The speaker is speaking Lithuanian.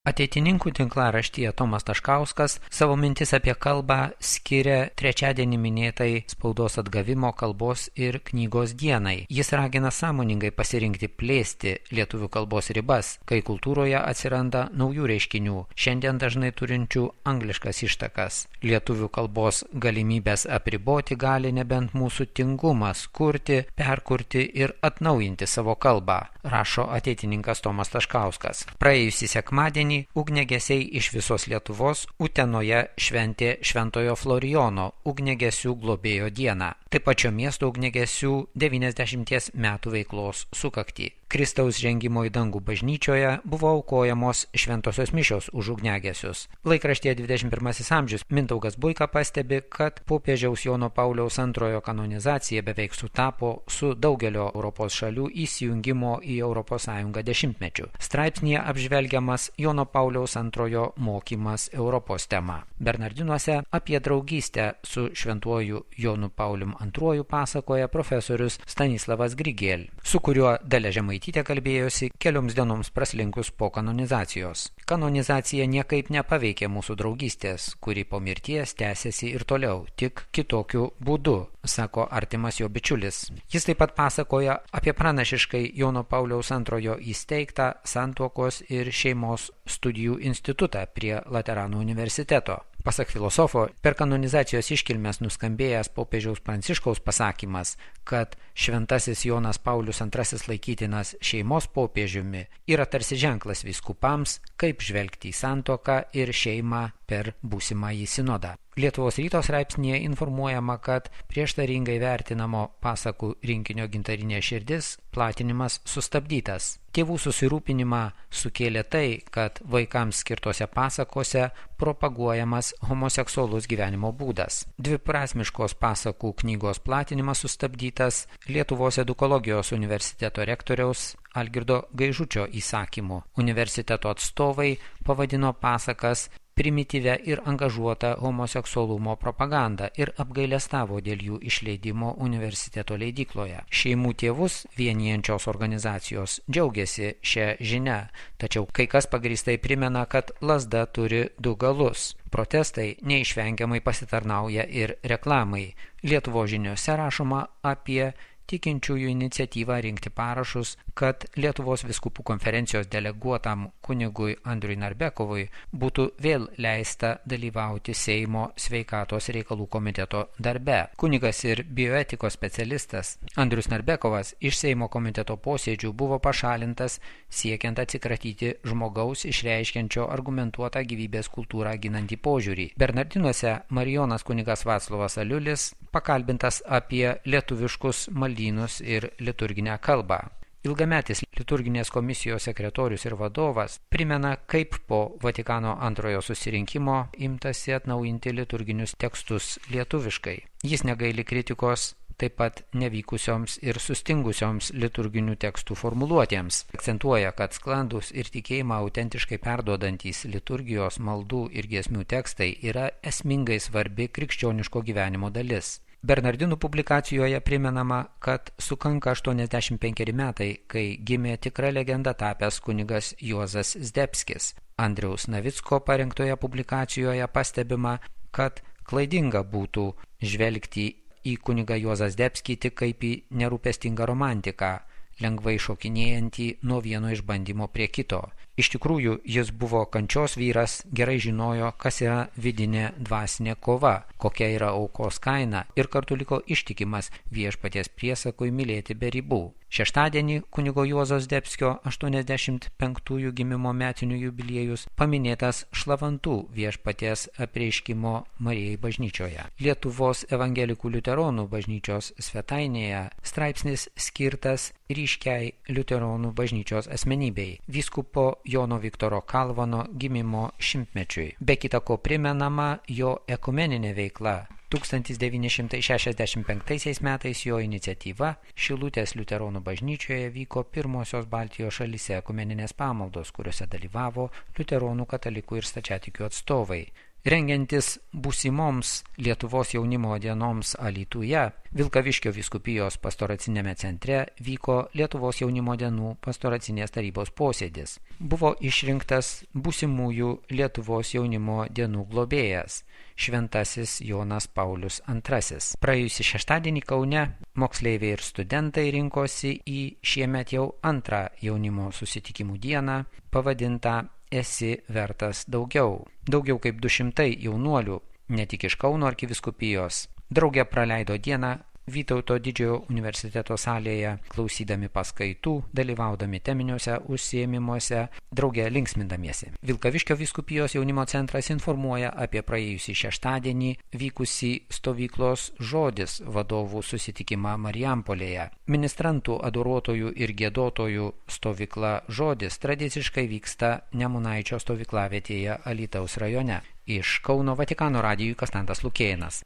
Ateitininkų tinklaraštyje Tomas Taškauskas savo mintis apie kalbą skiria trečiadienį minėtai spaudos atgavimo kalbos ir knygos dienai. Jis ragina sąmoningai pasirinkti plėsti lietuvių kalbos ribas, kai kultūroje atsiranda naujų reiškinių, šiandien dažnai turinčių angliškas ištakas. Lietuvių kalbos galimybės apriboti gali nebent mūsų tingumas kurti, perkurti ir atnaujinti savo kalbą, rašo ateitininkas Tomas Taškauskas. Praėjusį sekmadienį ugniagesiai iš visos Lietuvos Utenoje šventė Šventojo Florijono ugniagesių globėjo dieną. Taip pat šio miesto ugniagesių 90 metų veiklos sukaktį. Kristaus žengimo į dangų bažnyčioje buvo aukojamos šventosios mišios už ugniagesius. Laikraštyje 21 amžius Mindaugas Buika pastebi, kad popiežiaus Jono Pauliaus II kanonizacija beveik sutapo su daugelio Europos šalių įsijungimo į ES dešimtmečių. Straipsnėje apžvelgiamas Jono Pauliaus II mokymas Europos tema. Bernardinuose apie draugystę su šventuoju Jonu Paulium II pasakoja profesorius Stanislavas Grigėl, su kuriuo Dalia Žemaitytė kalbėjosi kelioms dienoms praslinkus po kanonizacijos. Kanonizacija niekaip nepaveikė mūsų draugystės, kuri po mirties tęsiasi ir toliau, tik kitokiu būdu, sako artimas jo bičiulis. Jis taip pat pasakoja apie pranašiškai Jono Pauliaus II įsteigtą santuokos ir šeimos studijų institutą prie Laterano universiteto. Pasak filosofo, per kanonizacijos iškilmes nuskambėjęs popiežiaus Pranciškaus pasakymas, kad šventasis Jonas Paulius II laikytinas šeimos popiežiumi, yra tarsi ženklas vyskupams, kaip žvelgti į santuoką ir šeimą per būsimąjį sinodą. Lietuvos ryto straipsnyje informuojama, kad prieštaringai vertinamo pasakų rinkinio Gintarinė širdis platinimas sustabdytas. Tėvų susirūpinimą sukėlė tai, kad vaikams skirtose pasakose propaguojamas homoseksualus gyvenimo būdas. Dviprasmiškos pasakų knygos platinimas sustabdytas Lietuvos edukologijos universiteto rektoriaus Algirdo Gaižučio įsakymu. Universiteto atstovai pavadino pasakas primityvę ir angažuotą homoseksualumo propagandą ir apgailestavo dėl jų išleidimo universiteto leidykloje. Šeimų tėvus vienijančios organizacijos džiaugiasi šią žinią, tačiau kai kas pagrįstai primena, kad lazda turi du galus. Protestai neišvengiamai pasitarnauja ir reklamai. Lietuvos žiniose rašoma apie tikinčiųjų iniciatyvą rinkti parašus, kad Lietuvos vyskupų konferencijos deleguotam kunigui Andriui Narbekovui būtų vėl leista dalyvauti Seimo sveikatos reikalų komiteto darbe. Kunigas ir bioetikos specialistas Andrius Narbekovas iš Seimo komiteto posėdžių buvo pašalintas siekiant atsikratyti žmogaus išreiškiančio argumentuotą gyvybės kultūrą ginantį požiūrį. Bernardinuose Marijonas kunigas Vaclovas Aliulis pakalbintas apie lietuviškus maldynus ir liturginę kalbą. Ilgametis liturginės komisijos sekretorius ir vadovas primena, kaip po Vatikano antrojo susirinkimo imtasi atnaujinti liturginius tekstus lietuviškai. Jis negaili kritikos taip pat nevykusioms ir sustingusioms liturginių tekstų formuluotėms. Akcentuoja, kad sklandus ir tikėjimą autentiškai perduodantys liturgijos maldų ir giesmių tekstai yra esmingai svarbi krikščioniško gyvenimo dalis. Bernardinų publikacijoje primenama, kad sukanka 85 metai, kai gimė tikra legenda tapęs kunigas Juozas Zdebskis. Andriaus Navicko parengtoje publikacijoje pastebima, kad klaidinga būtų žvelgti į kunigą Juozą Zdebskį tik kaip į nerūpestingą romantiką, lengvai šokinėjantį nuo vieno išbandymo prie kito. Iš tikrųjų, jis buvo kančios vyras, gerai žinojo, kas yra vidinė dvasinė kova, kokia yra aukos kaina ir kartu liko ištikimas viešpaties priesakui mylėti be ribų. Šeštadienį kunigo Juozo Zdebskio 85 gimimo metinių jubiliejus paminėtas Šlavantų viešpaties apreiškimo Marijai bažnyčioje. Lietuvos evangelikų liuteronų bažnyčios svetainėje straipsnis skirtas ryškiai liuteronų bažnyčios asmenybei, vyskupo Jono Viktoro Kalvano gimimo šimtmečiui. Be kita ko primenama jo ekumeninė veikla. 1965 metais jo iniciatyva Šilutės liuteronų bažnyčioje vyko pirmosios Baltijos šalyse ekumeninės pamaldos, kuriuose dalyvavo liuteronų, katalikų ir stačiatikių atstovai. Rengiantis būsimoms Lietuvos jaunimo dienoms Alytuje, Vilkaviškio vyskupijos pastoracinėme centre vyko Lietuvos jaunimo dienų pastoracinės tarybos posėdis. Buvo išrinktas būsimųjų Lietuvos jaunimo dienų globėjas Šventasis Jonas Paulius II. Praėjusį šeštadienį Kaune moksleiviai ir studentai rinkosi į šiemet jau antrą jaunimo susitikimų dieną, pavadintą Esi vertas daugiau. Daugiau kaip 200 jaunuolių, ne tik iš Kauno arkivyskupijos, drauge praleido dieną Vytauto didžiojo universiteto salėje, klausydami paskaitų, dalyvaudami teminiuose užsiėmimuose, drauge linksmindamiesi. Vilkaviškio vyskupijos jaunimo centras informuoja apie praėjusį šeštadienį vykusį stovyklos Žodis vadovų susitikimą Marijampolėje. Ministrantų, adoruotojų ir giedotojų stovykla Žodis tradiciškai vyksta Nemunaičio stovyklavietėje Alytaus rajone. Iš Kauno Vatikano radijui Konstantas Lukėnas.